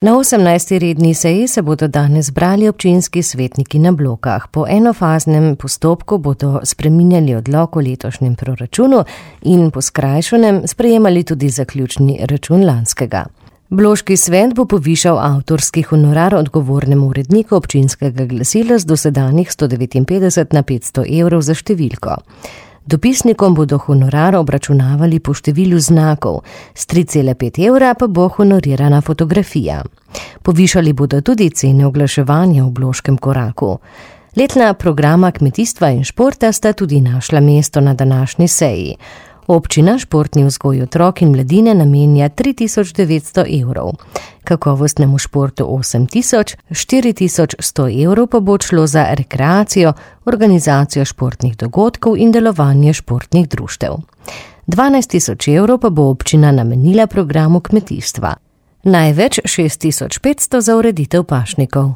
Na 18. redni seji se bodo danes zbrali občinski svetniki na Blokah. Po enofaznem postopku bodo spreminjali odlok o letošnjem proračunu in po skrajšanem sprejemali tudi zaključni račun lanskega. Bloški svet bo povišal avtorski honorar odgovornemu uredniku občinskega glasila z dosedanjih 159 na 500 evrov za številko. Dopisnikom bodo honorar obračunavali po številu znakov, s 3,5 evra pa bo honorirana fotografija. Povišali bodo tudi cene oglaševanja v Bloškem koraku. Letna programa kmetijstva in športa sta tudi našla mesto na današnji seji. Občina športni vzgoj otrok in mladine namenja 3900 evrov. Kakovostnemu športu 8000, 4100 evrov pa bo šlo za rekreacijo, organizacijo športnih dogodkov in delovanje športnih društev. 12000 evrov pa bo občina namenila programu kmetijstva. Največ 6500 za ureditev pašnikov.